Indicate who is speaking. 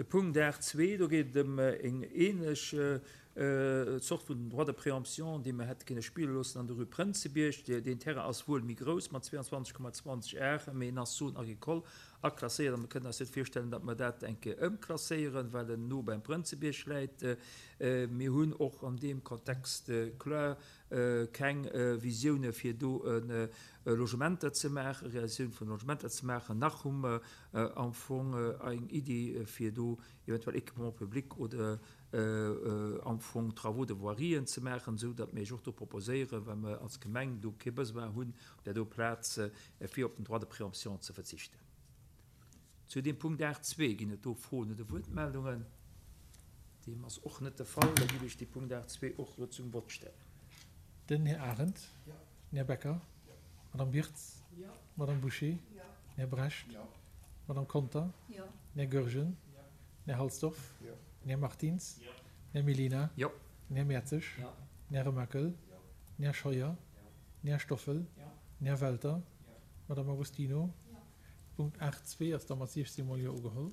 Speaker 1: De Punkt 8.2, do geet et ëm eng ähnlech Zort vun Droit de préemption, dee mer hätte kënne spille loossen an der Rue Prënzebierg. Deen Terrain ass wuel méi grouss mat 22,20 Ar, mee en ass Zone agricole aklasséiert a mer kënnen eis net virstellen, datt mer dat eng Kéier ëmklasséieren, well en no beim Prënzebierg läit. Mir hunn och an deem Kontext kloer keng Visioune fir do Logementer ze maachen, Realisatioun vun Logementer ze maachen, nach hu mer am Fong eng Iddi fir do eventuell Équipement public oder am Fong Travaux de voirien ze maachen, esou datt mir Iech och do proposéieren, well mer als Gemeng do kee Besoin hunn op där do Plaz, fir op den Droit de préemption ze verzichten. Zu deem Punkt 8.2 ginn et do Froen oder Wuertmeldungen? Deem ass och net de Fall. Da géif ech dee Punkt 8.2 och elo zum Vott stellen.
Speaker 2: Den Här Arendt. Den Här Becker. D'Madame Birtz. D'Madame Bouché. Den Här Brecht. D'Madame Conter. Den Här Goergen. Den Här Halsdorf. Den Här Martins. Den Här Mellina. Den Här Mertzig. Den Här Remakel. Den Här Scheuer. Den Här Stoffel. Den Här Welter. D'Madame Agostino. Punkt 8.2 ass da mat 16 mol Jo ugeholl.